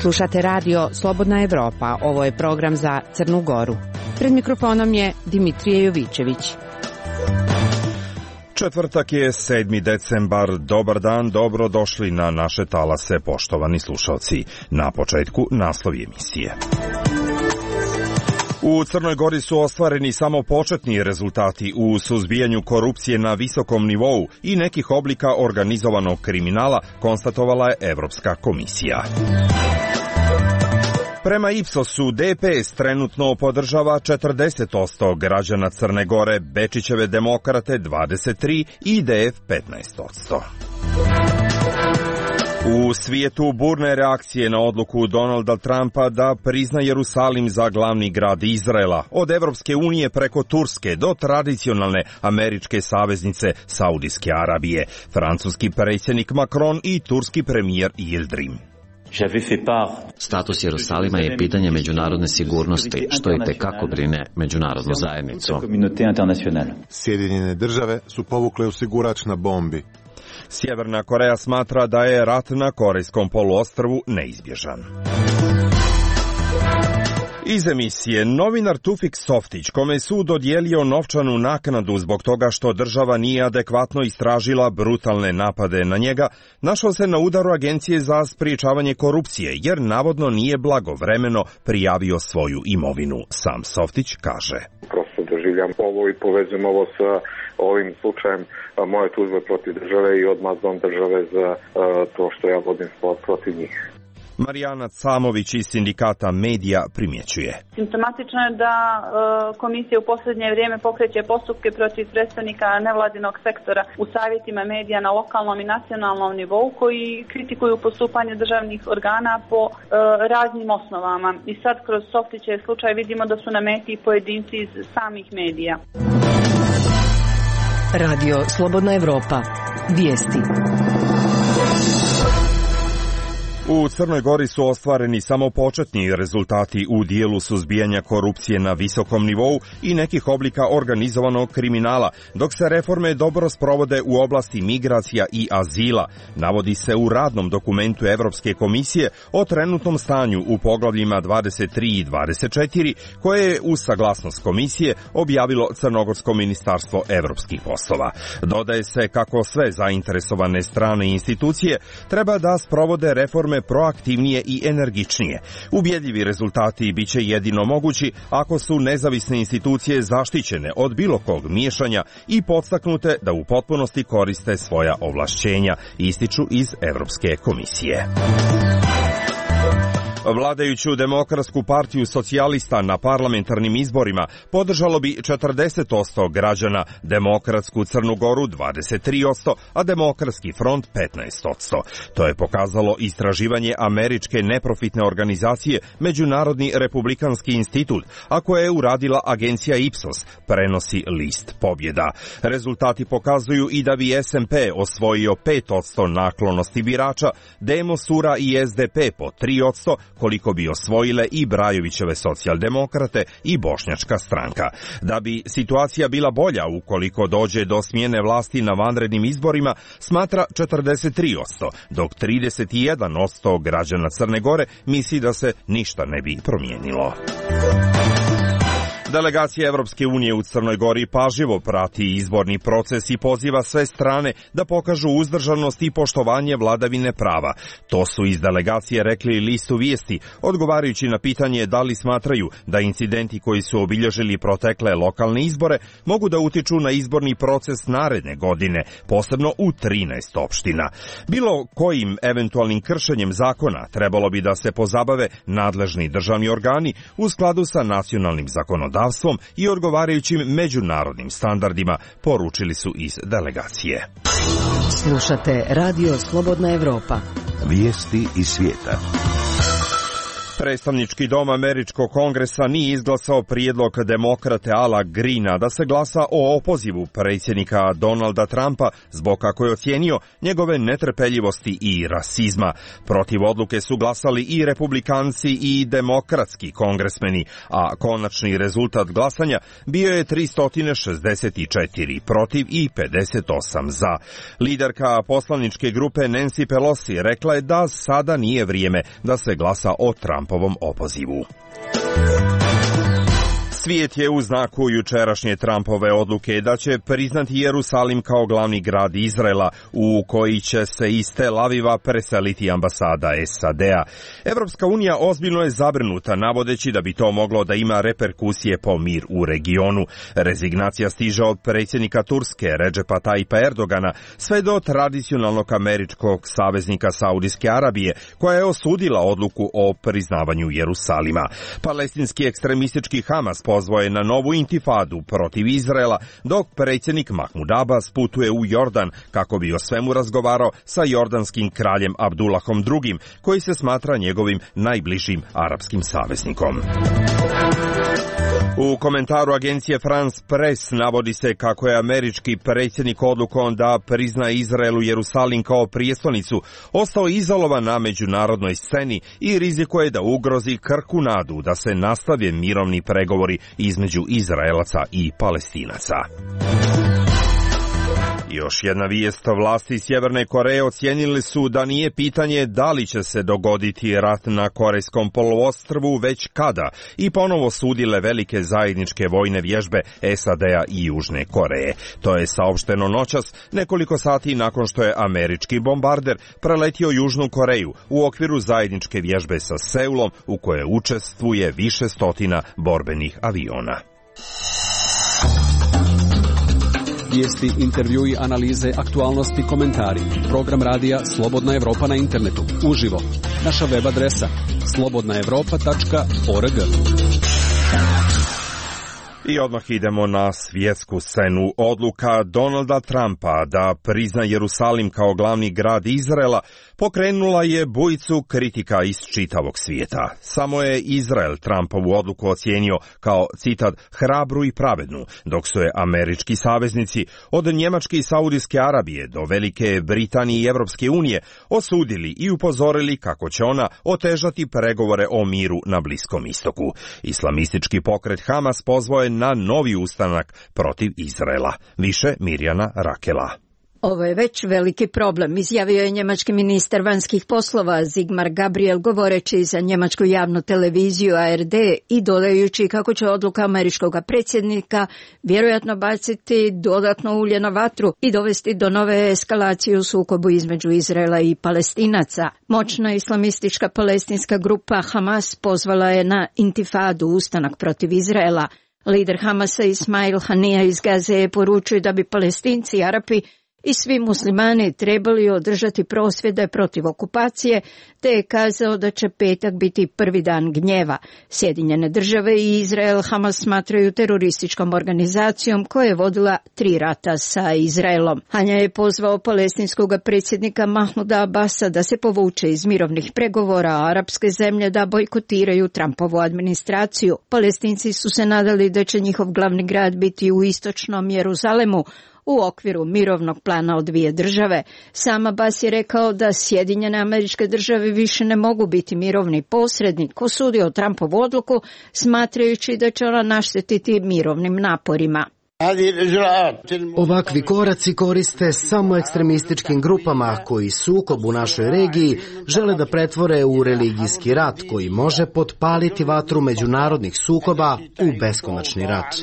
Slušate radio Slobodna Evropa, ovo je program za Crnu Goru. Pred mikrofonom je Dimitrije Jovićević. Četvrtak je 7. decembar. Dobar dan, dobro došli na naše talase, poštovani slušalci. Na početku naslovi emisije. U Crnoj Gori su ostvareni samo početni rezultati u suzbijanju korupcije na visokom nivou i nekih oblika organizovanog kriminala, konstatovala je Evropska komisija. Prema Ipsosu, DPS trenutno podržava 40% građana Crne Gore, Bečićeve demokrate 23% i IDF 15%. U svijetu burne reakcije na odluku Donalda Trumpa da prizna Jerusalim za glavni grad Izraela, od Evropske unije preko Turske do tradicionalne američke saveznice Saudijske Arabije, francuski predsjednik Macron i turski premijer Yildirim. Status Jerusalima je pitanje međunarodne sigurnosti, što i tekako brine međunarodnu zajednicu. Sjedinjene države su povukle osigurač na bombi. Sjeverna Koreja smatra da je rat na Korejskom poluostrvu neizbježan. Iz emisije, novinar Tufik Softić, kome je sud dodijelio novčanu naknadu zbog toga što država nije adekvatno istražila brutalne napade na njega, našao se na udaru Agencije za sprječavanje korupcije, jer navodno nije blagovremeno prijavio svoju imovinu. Sam Softić kaže: Prosto doživljam ovo i povezujem ovo sa ovim slučajem moje tužbe protiv države i odmazdom države za to što ja vodim spor protiv njih. Marijana Camović iz sindikata Medija primjećuje. Simptomatično je da komisija u posljednje vrijeme pokreće postupke protiv predstavnika nevladinog sektora u savjetima medija na lokalnom i nacionalnom nivou koji kritikuju postupanje državnih organa po raznim osnovama. I sad kroz Softićev slučaj vidimo da su na meti pojedinci iz samih medija. Radio Slobodna Evropa. Vijesti. U Crnoj Gori su ostvareni samo početni rezultati u dijelu suzbijanja korupcije na visokom nivou i nekih oblika organizovanog kriminala, dok se reforme dobro sprovode u oblasti migracija i azila, navodi se u radnom dokumentu Evropske komisije o trenutnom stanju u poglavljima 23 i 24, koje je uz saglasnost komisije objavilo Crnogorsko ministarstvo evropskih poslova. Dodaje se kako sve zainteresovane strane i institucije treba da sprovode reforme proaktivnije i energičnije. Ubjedljivi rezultati biće jedino mogući ako su nezavisne institucije zaštićene od bilo kog miješanja i podstaknute da u potpunosti koriste svoja ovlašćenja, ističu iz Evropske komisije. Vladajuću Demokratsku partiju socijalista na parlamentarnim izborima podržalo bi 40% građana, Demokratsku Crnu Goru 23%, a Demokratski front 15%. To je pokazalo istraživanje američke neprofitne organizacije Međunarodni republikanski institut, a koje je uradila agencija Ipsos, prenosi list Pobjeda. Rezultati pokazuju i da bi SMP osvojio 5% naklonosti birača, Demo Sura i SDP po 3%, koliko bi osvojile i Brajovićeve socijaldemokrate i Bošnjačka stranka. Da bi situacija bila bolja ukoliko dođe do smjene vlasti na vanrednim izborima, smatra 43%, dok 31% građana Crne Gore misli da se ništa ne bi promijenilo. Delegacija Evropske unije u Crnoj Gori pažljivo prati izborni proces i poziva sve strane da pokažu uzdržanost i poštovanje vladavine prava. To su iz delegacije rekli listu Vijesti, odgovarajući na pitanje da li smatraju da incidenti koji su obilježili protekle lokalne izbore mogu da utiču na izborni proces naredne godine, posebno u 13 opština. Bilo kojim eventualnim kršenjem zakona trebalo bi da se pozabave nadležni državni organi u skladu sa nacionalnim zakonodavstvom i odgovarajućim međunarodnim standardima, poručili su iz delegacije. Slušate Radio Slobodna Evropa. Vijesti iz svijeta. Predstavnički dom američkog kongresa nije izglasao prijedlog demokrate Ala Greena da se glasa o opozivu predsjednika Donalda Trumpa zbog, kako je ocijenio, njegove netrpeljivosti i rasizma. Protiv odluke su glasali i republikanci i demokratski kongresmeni, a konačni rezultat glasanja bio je 364 protiv i 58 za. Liderka poslaničke grupe Nancy Pelosi rekla je da sada nije vrijeme da se glasa o Trumpovom opozivu. Svijet je u znaku jučerašnje Trumpove odluke da će priznati Jerusalim kao glavni grad Izraela, u koji će se iz Tel Aviva preseliti ambasada SAD-a. Evropska unija ozbiljno je zabrinuta, navodeći da bi to moglo da ima reperkusije po mir u regionu. Rezignacija stiže od predsjednika Turske Redžepa Tayyipa Erdogana sve do tradicionalnog američkog saveznika Saudijske Arabije, koja je osudila odluku o priznavanju Jerusalima. Palestinski ekstremistički Hamas pozvao je na novu intifadu protiv Izraela, dok predsjednik Mahmud Abbas putuje u Jordan kako bi o svemu razgovarao sa jordanskim kraljem Abdullahom II, koji se smatra njegovim najbližim arapskim saveznikom. U komentaru agencije France Press navodi se kako je američki predsjednik odlukom da prizna Izraelu Jerusalim kao prijestolnicu ostao izolovan na međunarodnoj sceni i rizikuje da ugrozi krhku nadu da se nastave mirovni pregovori između Izraelaca i Palestinaca. Još jedna vijest, vlasti Sjeverne Koreje ocijenili su da nije pitanje da li će se dogoditi rat na Korejskom poluostrvu, već kada, i ponovo sudile velike zajedničke vojne vježbe SAD-a i Južne Koreje. To je saopšteno noćas, nekoliko sati nakon što je američki bombarder preletio Južnu Koreju u okviru zajedničke vježbe sa Seulom, u kojoj učestvuje više stotina borbenih aviona. Vijesti, intervjui, analize, aktualnosti, komentari. Program radija Slobodna Evropa na internetu. Uživo. Naša web adresa slobodnaevropa.org. I odmah idemo na svjetsku scenu. Odluka Donalda Trumpa da prizna Jerusalim kao glavni grad Izraela pokrenula je bujicu kritika iz čitavog svijeta. Samo je Izrael Trumpovu odluku ocijenio kao, citat, hrabru i pravednu, dok su je američki saveznici od Njemačke i Saudijske Arabije do Velike Britanije i Evropske unije osudili i upozorili kako će ona otežati pregovore o miru na Bliskom istoku. Islamistički pokret Hamas pozvao je na novi ustanak protiv Izraela. Više Mirjana Rakela. Ovo je već veliki problem, izjavio je njemački ministar vanjskih poslova Sigmar Gabriel govoreći za njemačku javnu televiziju ARD i dodajući kako će odluka američkog predsjednika vjerojatno baciti dodatno ulje na vatru i dovesti do nove eskalacije u sukobu između Izraela i Palestinaca. Moćna islamistička palestinska grupa Hamas pozvala je na intifadu, ustanak protiv Izraela. Lider Hamasa Ismail Hanija iz Gaze je poručio da bi Palestinci, Arapi i svi muslimani trebali održati prosvjede protiv okupacije, te je kazao da će petak biti prvi dan gnjeva. Sjedinjene države i Izrael Hamas smatraju terorističkom organizacijom koja je vodila 3 rata sa Izraelom. Hanja je pozvao palestinskog predsjednika Mahmuda Abbasa da se povuče iz mirovnih pregovora, a arapske zemlje da bojkotiraju Trumpovu administraciju. Palestinci su se nadali da će njihov glavni grad biti u istočnom Jeruzalemu, u okviru mirovnog plana od 2 države. Sam Abbas je rekao da Sjedinjene Američke Države više ne mogu biti mirovni posrednik, osudio Trumpovu odluku, smatrajući da će ona naštetiti mirovnim naporima. Ovakvi koraci koriste samo ekstremističkim grupama koji sukob u našoj regiji žele da pretvore u religijski rat koji može potpaliti vatru međunarodnih sukoba u beskonačni rat.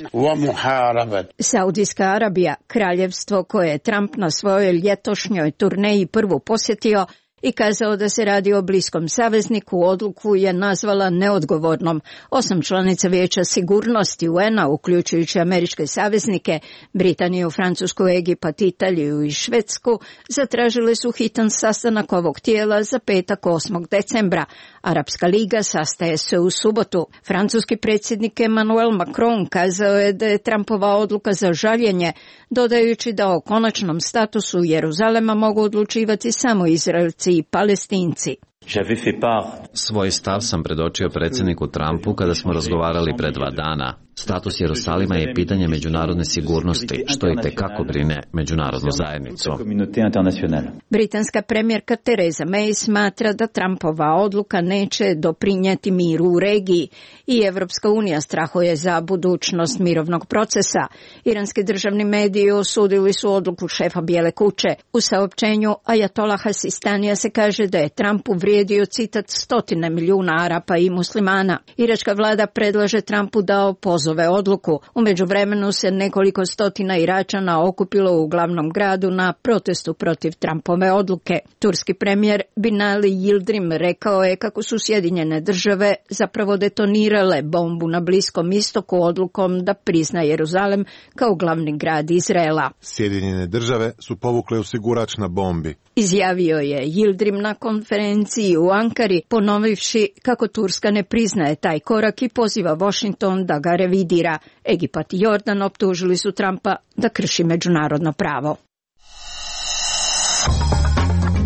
Saudijska Arabija, kraljevstvo koje je Trump na svojoj ljetošnjoj turneji prvu posjetio i kazao da se radi o bliskom savezniku, odluku je nazvala neodgovornom. 8 članica Vijeća sigurnosti UN-a, uključujući američke saveznike, Britaniju, Francusku, Egipat, Italiju i Švedsku, zatražile su hitan sastanak ovog tijela za petak 8. decembra. Arapska liga sastaje se u subotu. Francuski predsjednik Emmanuel Macron kazao je da je Trumpova odluka za žaljenje, dodajući da o konačnom statusu Jeruzalema mogu odlučivati samo Izraelci i Palestinci. Svoj stav sam predočio predsjedniku Trumpu kada smo razgovarali pre 2 dana. Status Jerusalima je pitanje međunarodne sigurnosti, što i tekako brine međunarodnu zajednicu. Britanska premijerka Theresa May smatra da Trumpova odluka neće doprinijeti miru u regiji i Evropska unija strahuje za budućnost mirovnog procesa. Iranski državni mediji osudili su odluku šefa Bijele kuće. U saopćenju Ajatollaha Sistanija se kaže da je Trump uvrijedio, citat, 100 milijuna Arapa i muslimana. Iračka vlada predlaže Trumpu da opozove odluku. U međuvremenu se nekoliko stotina Iračana okupilo u glavnom gradu na protestu protiv Trumpove odluke. Turski premijer Binali Yildirim rekao je kako su Sjedinjene države zapravo detonirale bombu na Bliskom istoku odlukom da prizna Jeruzalem kao glavni grad Izraela. Sjedinjene države su povukle osigurač na bombi. Izjavio je Yildirim na konferenciji u Ankari, ponovivši kako Turska ne priznaje taj korak i poziva Washington da ga revidira. Egipat i Jordan optužili su Trumpa da krši međunarodno pravo.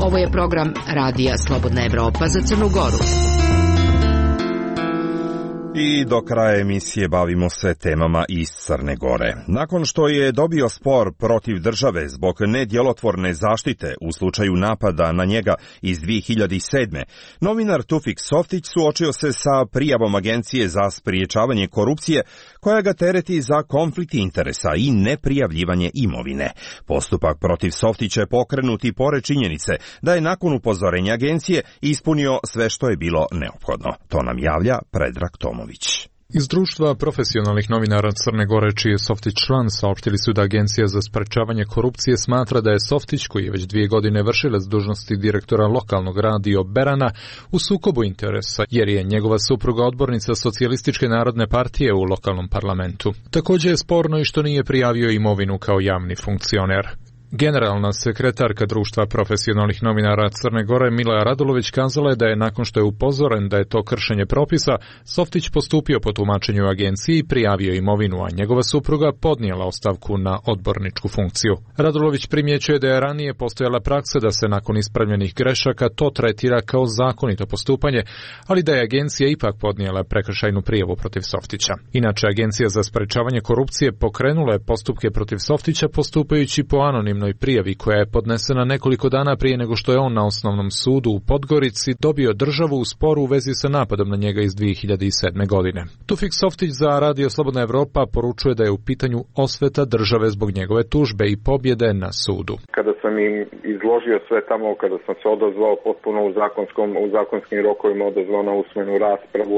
Ovo je program Radija Slobodna Evropa za Crnu Goru. I do kraja emisije bavimo se temama iz Crne Gore. Nakon što je dobio spor protiv države zbog nedjelotvorne zaštite u slučaju napada na njega iz 2007. novinar Tufik Softić suočio se sa prijavom Agencije za spriječavanje korupcije koja ga tereti za konflikt interesa i neprijavljivanje imovine. Postupak protiv Softića je pokrenut i pored činjenice da je nakon upozorenja agencije ispunio sve što je bilo neophodno. To nam javlja Predrag Tomović. Iz društva profesionalnih novinara Crne Gore, čiji je Softić član, saopštili su da Agencija za sprečavanje korupcije smatra da je Softić, koji je već 2 godine vršilac dužnosti direktora lokalnog radio Berana, u sukobu interesa, jer je njegova supruga odbornica Socijalističke narodne partije u lokalnom parlamentu. Također je sporno i što nije prijavio imovinu kao javni funkcioner. Generalna sekretarka društva profesionalnih novinara Crne Gore Mila Radulović kazala je da je nakon što je upozoren da je to kršenje propisa, Softić postupio po tumačenju agenciji i prijavio imovinu, a njegova supruga podnijela ostavku na odborničku funkciju. Radulović primjećuje da je ranije postojala praksa da se nakon ispravljenih grešaka to tretira kao zakonito postupanje, ali da je agencija ipak podnijela prekršajnu prijavu protiv Softića. Inače, Agencija za sprečavanje korupcije pokrenula je postupke protiv Softića postupajući po anonimnoj prijavi koja je podnesena nekoliko dana prije nego što je on na osnovnom sudu u Podgorici dobio državu u sporu u vezi sa napadom na njega iz 2007. godine. Tufik Softić za Radio Slobodna Evropa poručuje da je u pitanju osveta države zbog njegove tužbe i pobjede na sudu. Kada sam im izložio sve tamo, kada sam se odazvao potpuno u zakonskim rokovima, odazvao na usmenu raspravu,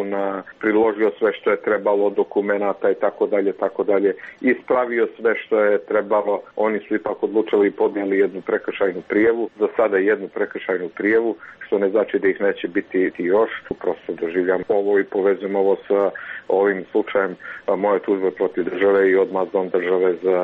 priložio sve što je trebalo, dokumenata i tako dalje, ispravio sve što je trebalo, oni su ipak odlučili i podnijeli jednu prekršajnu prijavu, za sada jednu prekršajnu prijavu, što ne znači da ih neće biti još. Prosto doživljam ovo i povezujem ovo sa ovim slučajem moje tužbe protiv države i odmazdom države za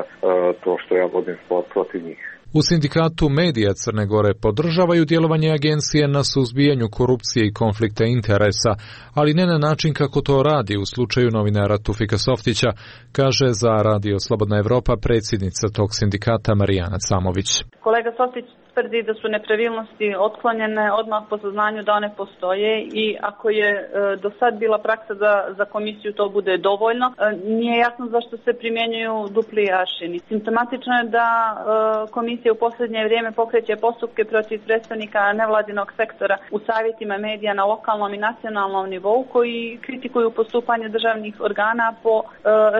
to što ja vodim spor protiv njih. U sindikatu medija Crne Gore podržavaju djelovanje agencije na suzbijanju korupcije i konflikta interesa, ali ne na način kako to radi u slučaju novinara Tufika Softića, kaže za Radio Slobodna Evropa predsjednica tog sindikata Marijana Camović. Kolega Softić tvrdi da su nepravilnosti otklonjene odmah po saznanju da one postoje i ako je do sad bila praksa da za komisiju to bude dovoljno, nije jasno zašto se primjenjuju dupli aršini. Simptomatično je da komisija u posljednje vrijeme pokreće postupke protiv predstavnika nevladinog sektora u savjetima medija na lokalnom i nacionalnom nivou koji kritikuju postupanje državnih organa po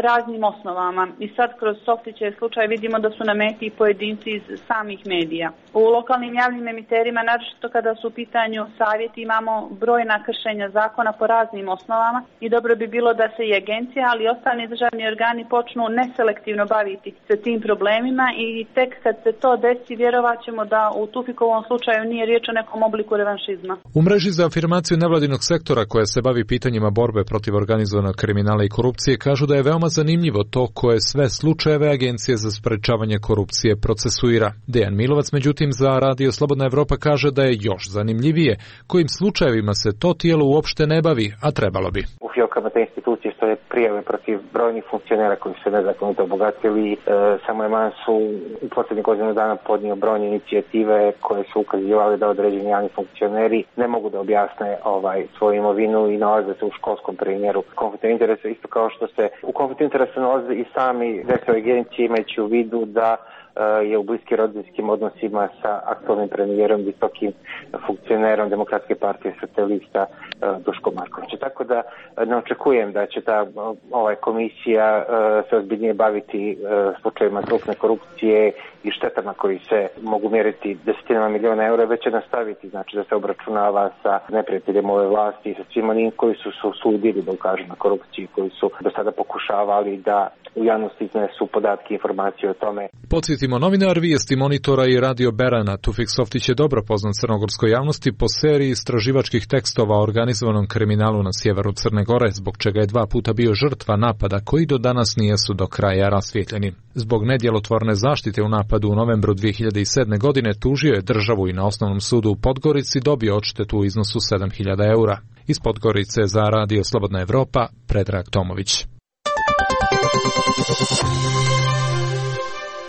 raznim osnovama. I sad kroz Softićev slučaj vidimo da su na meti pojedinci iz samih medija. U lokalnim javnim emiterima, naročito kada su u pitanju savjeti, imamo brojna kršenja zakona po raznim osnovama i dobro bi bilo da se i agencija, ali i ostali državni organi počnu neselektivno baviti sa tim problemima i tek kad se to desi, vjerovat ćemo da u Tufikovom slučaju nije riječ o nekom obliku revanšizma. U mreži za afirmaciju nevladinog sektora koja se bavi pitanjima borbe protiv organizovanog kriminala i korupcije kažu da je veoma zanimljivo to koje sve slučajeve Agencije za sprečavanje korupcije procesuira. Dejan Milovac, međutim, za Radio Slobodna Evropa kaže da je još zanimljivije kojim slučajevima se to tijelo uopšte ne bavi, a trebalo bi. U fijokama te institucije stoje prijave protiv brojnih funkcionera koji se nezakonito obogatili. Samo je Mansu u posljednjih godinu dana podnio brojne inicijative koje su ukazivali da određeni javni funkcioneri ne mogu da objasne svoju imovinu i nalaze se u školskom primjeru konflikta interesa, isto kao što se u konfliktu interesa nalaze i sami direktori agencije, imajući u vidu da je u bliskim rodbinskim odnosima sa aktualnim premijerom, visokim funkcionerom Demokratske partije socijalista Duškom Markovićem. Tako da ne očekujem da će ta komisija se ozbiljnije baviti slučajevima krupne korupcije i štetama koji se mogu mjeriti desetinama miliona eura, već će nastaviti, znači da se obračunava sa neprijateljem ove vlasti i sa svim onim koji su se usudili da ukažu na korupciju, koji su do sada pokušavali da u javnosti iznesu podatke i informacije o tome. Podsjetimo, novinar Vijesti Monitora i Radio Berana Tufik Softić je dobro poznat crnogorskoj javnosti po seriji istraživačkih tekstova o organizovanom kriminalu na sjeveru Crne Gore, zbog čega je 2 puta bio žrtva napada koji do danas nisu do kraja rasvijetljeni. Zbog nedjelotvorne zaštite u napadu u novembru 2007. godine tužio je državu i na Osnovnom sudu u Podgorici dobio odštetu u iznosu 7.000 eura. Iz Podgorice za Radio Slobodna Evropa, Predrag Tomović.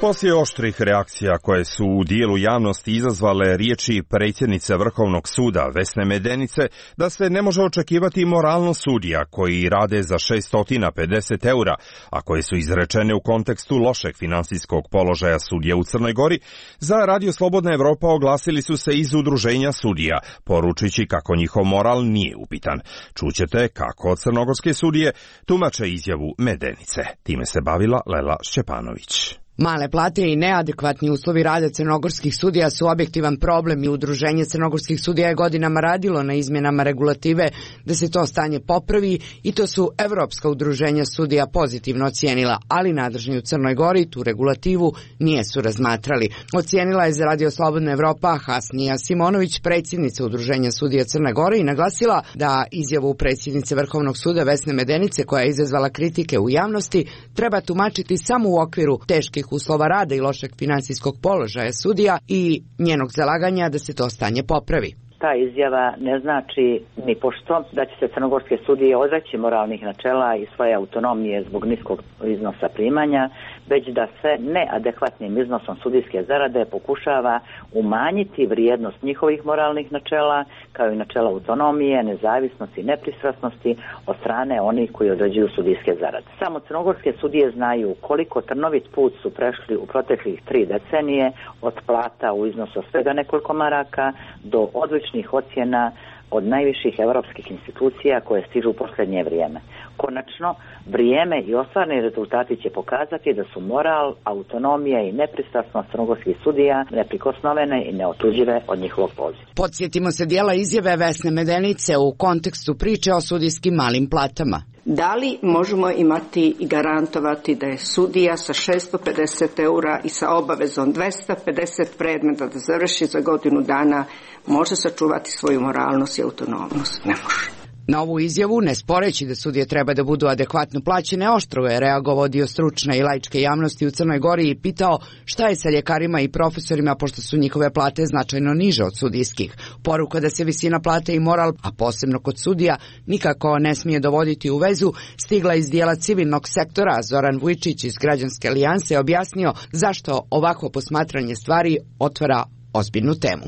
Poslije oštrih reakcija koje su u dijelu javnosti izazvale riječi predsjednice Vrhovnog suda Vesne Medenice da se ne može očekivati moralnost sudija koji rade za 650 eura, a koje su izrečene u kontekstu lošeg finansijskog položaja sudija u Crnoj Gori, za Radio Slobodna Evropa oglasili su se iz udruženja sudija, poručujući kako njihov moral nije upitan. Čućete kako crnogorske sudije tumače izjavu Medenice. Time se bavila Lela Šćepanović. Male plate i neadekvatni uslovi rada crnogorskih sudija su objektivan problem i Udruženje crnogorskih sudija je godinama radilo na izmjenama regulative da se to stanje popravi i to su evropska udruženja sudija pozitivno ocijenila, ali nadležni u Crnoj Gori tu regulativu nijesu razmatrali. Ocijenila je za Radio Slobodna Evropa Hasnija Simonović, predsjednica Udruženja sudija Crne Gore, i naglasila da izjavu predsjednice Vrhovnog suda Vesne Medenice, koja je izazvala kritike u javnosti, treba tumačiti samo u okviru teških uslova rada i lošeg finansijskog položaja sudija i njenog zalaganja da se to stanje popravi. Ta izjava ne znači ni pošto da će se crnogorske sudije odreći moralnih načela i svoje autonomije zbog niskog iznosa primanja, već da se neadekvatnim iznosom sudijske zarade pokušava umanjiti vrijednost njihovih moralnih načela, kao i načela autonomije, nezavisnosti i nepristrasnosti od strane onih koji određuju sudijske zarade. Samo crnogorske sudije znaju koliko trnovit put su prešli u proteklih 3 decenije od plata u iznosu svega nekoliko maraka do odličnih ocjena od najviših evropskih institucija koje stižu u posljednje vrijeme. Konačno, vrijeme i ostvarni rezultati će pokazati da su moral, autonomija i nepristrasnost crnogorskih sudija neprikosnovene i neotuđive od njihovog poziva. Podsjetimo se dijela izjave Vesne Medenice u kontekstu priče o sudijskim malim platama. Da li možemo imati i garantovati da je sudija sa 650 eura i sa obavezom 250 predmeta da završi za godinu dana može sačuvati svoju moralnost i autonomnost? Ne može. Na ovu izjavu, ne sporeći da sudije treba da budu adekvatno plaćene, oštro je reagovao dio stručne i laičke javnosti u Crnoj Gori i pitao šta je sa ljekarima i profesorima pošto su njihove plate značajno niže od sudijskih. Poruka da se visina plate i moral, a posebno kod sudija, nikako ne smije dovoditi u vezu, stigla iz dijela civilnog sektora. Zoran Vujčić iz Građanske alijanse objasnio zašto ovako posmatranje stvari otvara ozbiljnu temu.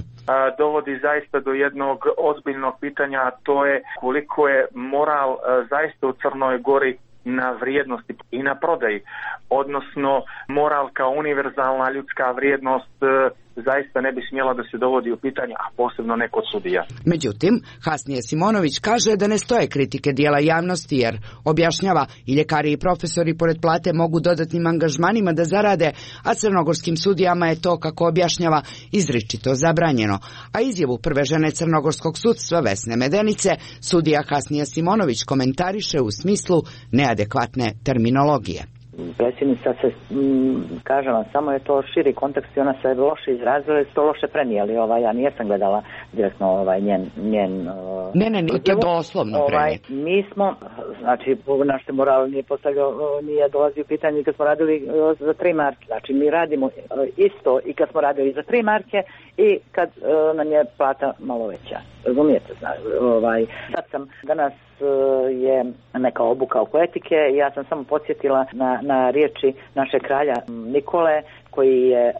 Dovodi zaista do jednog ozbiljnog pitanja, a to je koliko je moral zaista u Crnoj Gori na vrijednosti i na prodaji, odnosno moral kao univerzalna ljudska vrijednost zaista ne bi smjela da se dovodi u pitanje, a posebno ne kod sudija. Međutim, Hasnije Simonović kaže da ne stoje kritike dijela javnosti jer, objašnjava, i ljekari i profesori pored plate mogu dodatnim angažmanima da zarade, a crnogorskim sudijama je to, kako objašnjava, izričito zabranjeno. A izjavu prve žene crnogorskog sudstva Vesne Medenice sudija Hasnija Simonović komentariše u smislu neadekvatne terminologije. predsjednica se, kažem vam, samo je to širi kontekst i ona se loše izrazila i to loše prenijeli. Ja nijesam gledala direktno njen Ne, to je doslovno prenijeli. Mi smo, znači, naš se moral nije dolazio u pitanje kad smo radili za 3 marke. Znači, mi radimo isto i kad smo radili za 3 marke i kad nam je plata malo veća. Razumijete? Danas je neka obuka oko etike i ja sam samo podsjetila na riječi našeg kralja Nikole, koji je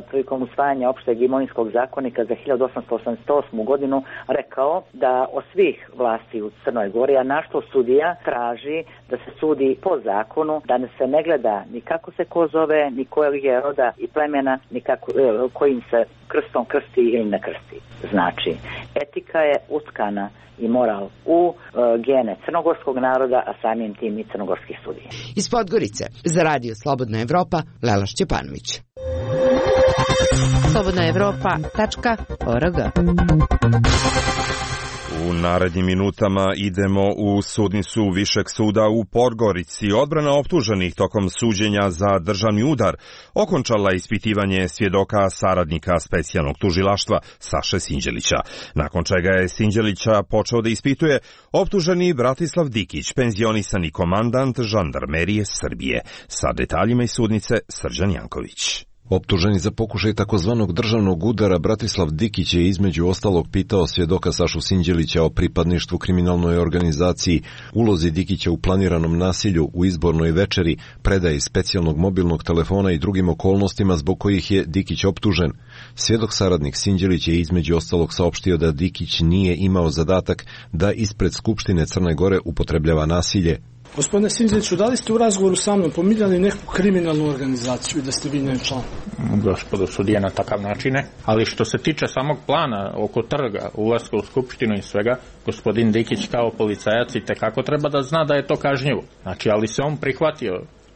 prilikom usvajanja opšteg imovinskog zakonika za 1888. godinu rekao da od svih vlasti u Crnoj Gori, a našto sudija traži da se sudi po zakonu, da se ne gleda ni kako se ko zove, ni kojeg je roda i plemena, ni kojim se krstom krsti ili ne krsti. Znači, etika je utkana i moral u gene crnogorskog naroda, a samim tim i crnogorskih sudija. Iz Podgorice, za Radio Slobodna Evropa, Lela Šćepanović. slobodnaevropa.org. U narednim minutama idemo u sudnicu Višeg suda u Podgorici. Odbrana optuženih tokom suđenja za državni udar okončala ispitivanje svjedoka saradnika specijalnog tužilaštva Saše Sinđelića, nakon čega je Sinđelića počeo da ispituje optuženi Bratislav Dikić, penzionisani komandant žandarmerije Srbije. Sa detaljima iz sudnice Srđan Janković. Optuženi za pokušaj takozvanog državnog udara Bratislav Dikić je između ostalog pitao svjedoka Sašu Sinđelića o pripadništvu kriminalnoj organizaciji, ulozi Dikića u planiranom nasilju u izbornoj večeri, predaji specijalnog mobilnog telefona i drugim okolnostima zbog kojih je Dikić optužen. Svjedok saradnik Sinđelić je između ostalog saopštio da Dikić nije imao zadatak da ispred Skupštine Crne Gore upotrebljava nasilje. Gospodine Sinđeliću, da li ste u razgovoru sa mnom pominjali neku kriminalnu organizaciju i da ste vi njen član? Gospodo sudije, na takav način ne. Ali što se tiče samog plana oko trga, ulaska u Skupštinu i svega, gospodin Dikić kao policajac i tekako treba da zna da je to kažnjivo. Znači, ali se on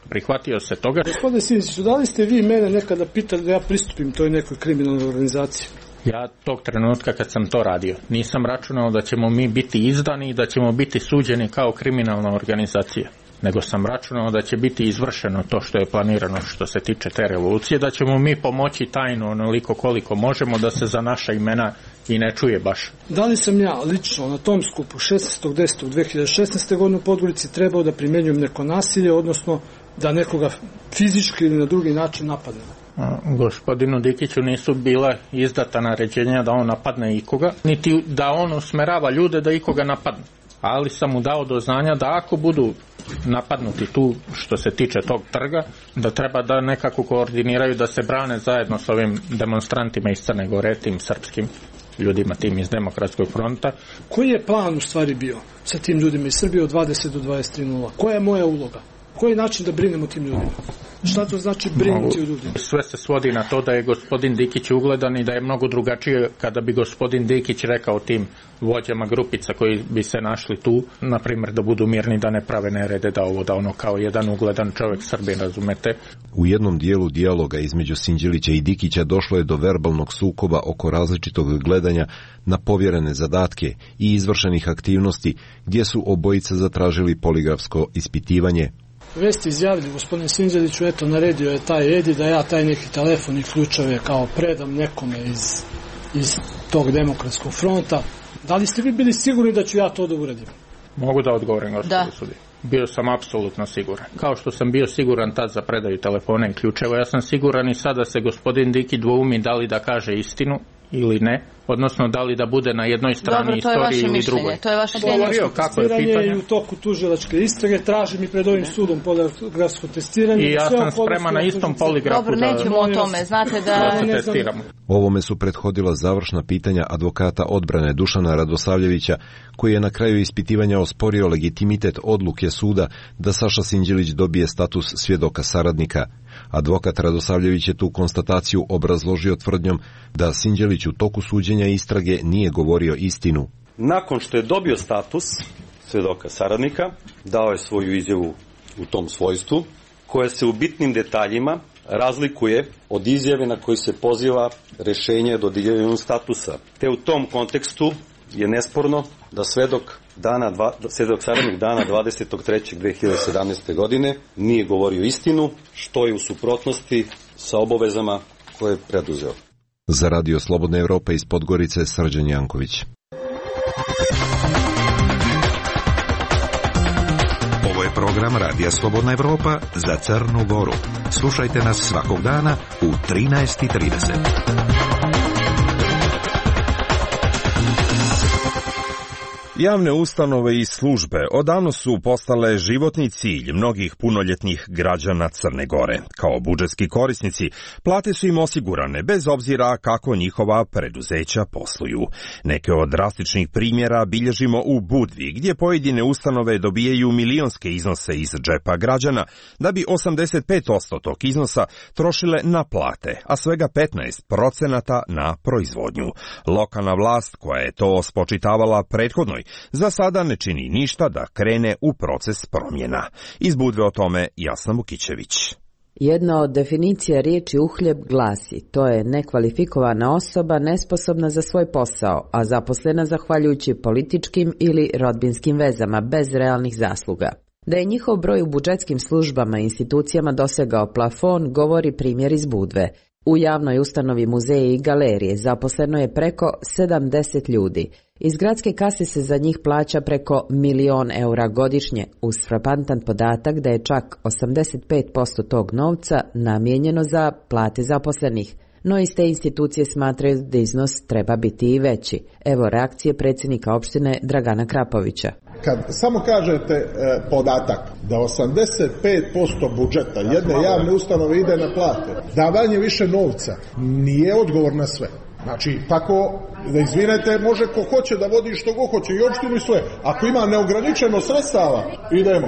prihvatio se toga. Gospodine Sinđeliću, da li ste vi mene nekada pitali da ja pristupim toj nekoj kriminalnoj organizaciji? Ja tog trenutka kad sam to radio nisam računao da ćemo mi biti izdani i da ćemo biti suđeni kao kriminalna organizacija, nego sam računao da će biti izvršeno to što je planirano što se tiče te revolucije, da ćemo mi pomoći tajno onoliko koliko možemo da se za naša imena i ne čuje baš. Da li sam ja lično na tom skupu 16.10.2016. godine u Podgorici trebao da primjenjujem neko nasilje, odnosno da nekoga fizički ili na drugi način napadnem? Gospodinu Dikiću nisu bila izdata naređenja da on napadne ikoga, niti da on usmerava ljude da ikoga napadne. Ali sam mu dao do znanja da ako budu napadnuti tu što se tiče tog trga, da treba da nekako koordiniraju da se brane zajedno s ovim demonstrantima iz Crne Gore, tim srpskim ljudima, tim iz Demokratskog fronta. Koji je plan u stvari bio sa tim ljudima iz Srbije od 20 do 23.00? Koja je moja uloga? Koji je način da brinemo tim ljudima? Šta to znači brinuti o ljudima? Sve se svodi na to da je gospodin Dikić ugledan i da je mnogo drugačije kada bi gospodin Dikić rekao tim vođama grupica koji bi se našli tu, na primjer da budu mirni, da ne prave nerede, da ovo da ono kao jedan ugledan čovjek Srbin, razumete? U jednom dijelu dijaloga između Sinđelića i Dikića došlo je do verbalnog sukoba oko različitog gledanja na povjerene zadatke i izvršenih aktivnosti, gdje su obojica zatražili poligrafsko ispitivanje. Vi ste izjavili, gospodine Sinđeliću, eto, naredio je taj Edi da ja taj neki telefon i ključeve kao predam nekome iz tog Demokratskog fronta. Da li ste vi bili sigurni da ću ja to da uradim? Mogu da odgovorim, gospodine sudije. Bio sam apsolutno siguran. Kao što sam bio siguran tad za predaju telefona i ključeva, ja sam siguran i sada se gospodin Diki dvoumi da li da kaže istinu ili ne, odnosno da li da bude na jednoj strani istorije ili drugoj. To je vaše mišljenje. Kako je pitanje? U toku tužilačke istrage tražim i pred ovim sudom poligrafsko testiranje. I ja sam spreman na istom poligrafu. Dobro, nećemo o tome, znate da testiramo. Ovome su prethodila završna pitanja advokata odbrane Dušana Radosavljevića, koji je na kraju ispitivanja osporio legitimitet odluke suda da Saša Sinđelić dobije status svjedoka saradnika. Advokat Radosavljević je tu konstataciju obrazložio tvrdnjom da Sinđelić u toku suđenja istrage nije govorio istinu. Nakon što je dobio status svjedoka saradnika, dao je svoju izjavu u tom svojstvu, koja se u bitnim detaljima razlikuje od izjave na koju se poziva rješenje o dodjeljivanju statusa. Te u tom kontekstu je nesporno da svedok svjedok saradnik dana 23.3.2017. godine nije govorio istinu, što je u suprotnosti sa obavezama koje je preduzeo. Za Radio Slobodna Evropa iz Podgorice, Srđan Janković. Ovo je program Radija Slobodna Evropa za Crnu Goru. Slušajte nas svakog dana u 13:30. Javne ustanove i službe odavno su postale životni cilj mnogih punoljetnih građana Crne Gore. Kao budžetski korisnici, plate su im osigurane bez obzira kako njihova preduzeća posluju. Neke od drastičnih primjera bilježimo u Budvi, gdje pojedine ustanove dobijaju milionske iznose iz džepa građana, da bi 85% tog iznosa trošile na plate, a svega 15% na proizvodnju. Lokalna vlast, koja je to spočitavala prethodnoj, za sada ne čini ništa da krene u proces promjena. Iz Budve o tome Jasna Vukićević. Jedna od definicija riječi uhljeb glasi: to je nekvalifikovana osoba nesposobna za svoj posao, a zaposlena zahvaljujući političkim ili rodbinskim vezama bez realnih zasluga. Da je njihov broj u budžetskim službama i institucijama dosegao plafon, govori primjer iz Budve. U javnoj ustanovi muzeje i galerije zaposleno je preko 70 ljudi. Iz gradske kase se za njih plaća preko 1.000.000 eura godišnje, uz frapantan podatak da je čak 85% tog novca namijenjeno za plate zaposlenih. No iz te institucije smatraju da iznos treba biti i veći. Evo reakcije predsjednika opštine Dragana Krapovića. Kad samo kažete podatak da 85% budžeta jedne javne ustanove ide na plate, davanje više novca nije odgovor na sve. Znači, tako, da izvinete, može ko hoće da vodi što go hoće i opštinu i sve. Ako ima neograničeno sredstava, idemo.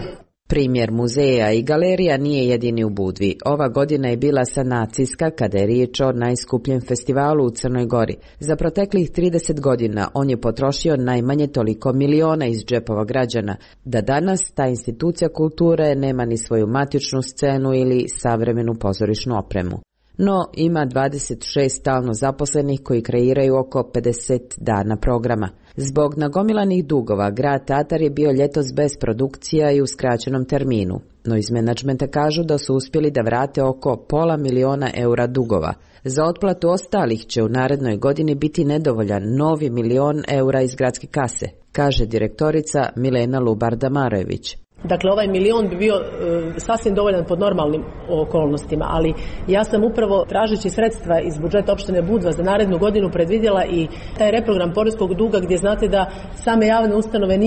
Primjer muzeja i galerija nije jedini u Budvi. Ova godina je bila sanacijska kada je riječ o najskupljem festivalu u Crnoj Gori. Za proteklih 30 godina on je potrošio najmanje toliko miliona iz džepova građana, da danas ta institucija kulture nema ni svoju matičnu scenu ili savremenu pozorišnu opremu. No, ima 26 stalno zaposlenih koji kreiraju oko 50 dana programa. Zbog nagomilanih dugova, grad Tatar je bio ljetos bez produkcija i u skraćenom terminu. No iz menadžmenta kažu da su uspjeli da vrate oko $500.000 eura dugova. Za otplatu ostalih će u narednoj godini biti nedovoljan novi $1.000.000 eura iz gradske kase, kaže direktorica Milena Lubar-Damarojević. Dakle, ovaj $1.000.000 bi bio sasvim dovoljan pod normalnim okolnostima, ali ja sam upravo tražeći sredstva iz budžeta opštine Budva za narednu godinu predvidjela i taj reprogram poreskog duga, gdje znate da same javne ustanove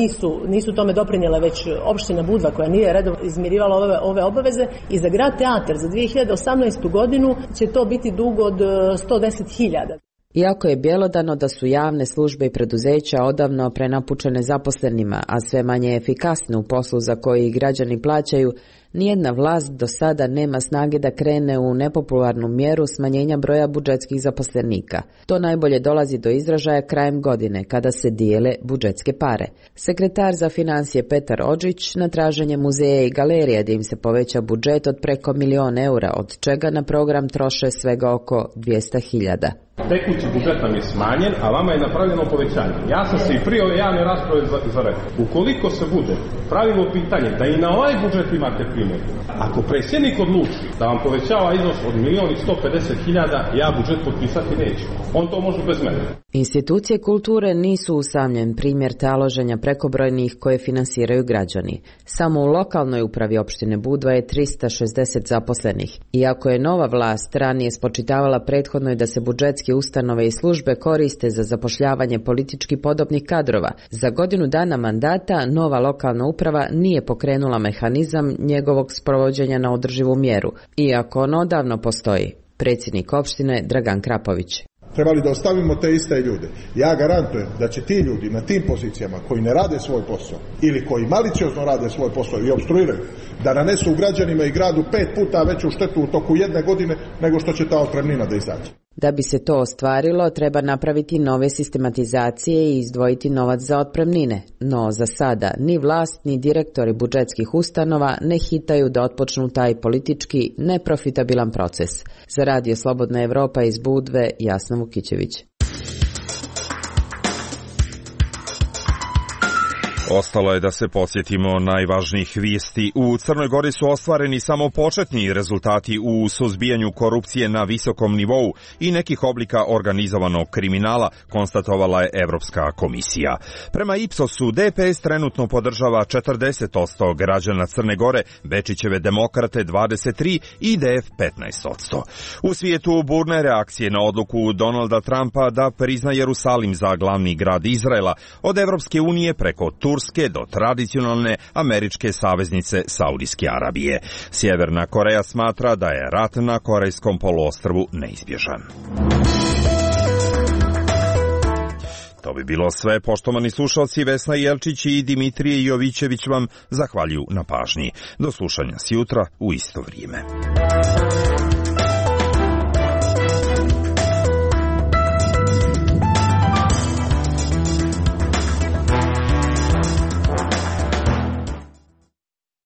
nisu tome doprinjele, već opština Budva koja nije redovno izmirivala ove obaveze, i za grad Teatar za 2018. godinu će to biti dug od 110.000. Iako je bjelodano da su javne službe i preduzeća odavno prenapučene zaposlenima, a sve manje efikasne u poslu za koji građani plaćaju, nijedna vlast do sada nema snage da krene u nepopularnu mjeru smanjenja broja budžetskih zaposlenika. To najbolje dolazi do izražaja krajem godine, kada se dijele budžetske pare. Sekretar za financije Petar Odžić na traženje muzeja i galerija da im se poveća budžet od preko $1.000.000 eura, od čega na program troše svega oko 200.000. Tekući budžet nam je smanjen, a vama je napravljeno povećanje. Ja sam se i prije ove javne rasprave zarekao. Ukoliko se bude pravilo pitanje da i na ovaj budžet imate primjer, ako predsjednik odluči da vam povećava iznos od 1.150.000, ja budžet potpisati neću. On to može bez mene. Institucije kulture nisu usamljen primjer taloženja prekobrojnih koje finansiraju građani. Samo u lokalnoj upravi opštine Budva je 360 zaposlenih. Iako je nova vlast ranije spočitavala prethodnoj da se budžetski ustanove i službe koriste za zapošljavanje politički podobnih kadrova, za godinu dana mandata nova lokalna uprava nije pokrenula mehanizam njegovog sprovođenja na održivu mjeru, iako on odavno postoji. Predsjednik opštine Dragan Krapović. Trebali da ostavimo te iste ljude. Ja garantujem da će ti ljudi na tim pozicijama koji ne rade svoj posao ili koji maliciozno rade svoj posao i opstruiraju, da nanesu građanima i gradu 5 puta veću štetu u toku jedne godine nego što će ta otpremnina da izađe. Da bi se to ostvarilo, treba napraviti nove sistematizacije i izdvojiti novac za otpremnine. No za sada ni vlast ni direktori budžetskih ustanova ne hitaju da otpočnu taj politički neprofitabilan proces. Za Radio Slobodna Evropa iz Budve, Jasna Vukićević. Ostalo je da se podsjetimo najvažnijih vijesti. U Crnoj Gori su ostvareni samo početni rezultati u suzbijanju korupcije na visokom nivou i nekih oblika organizovanog kriminala, konstatovala je Evropska komisija. Prema Ipsosu, DPS trenutno podržava 40% građana Crne Gore, Bečićeve demokrate 23% i IDF 15%. U svijetu burne reakcije na odluku Donalda Trumpa da prizna Jerusalim za glavni grad Izraela, od Evropske unije preko Turske do tradicionalne američke saveznice Saudijske Arabije. Sjeverna Koreja smatra da je rat na Korejskom poluostrvu neizbježan. To bi bilo sve, poštovani slušalci. Vesna Jelčić i Dimitrije Jovićević vam zahvaljuju na pažnji. Do slušanja sjutra u isto vrijeme.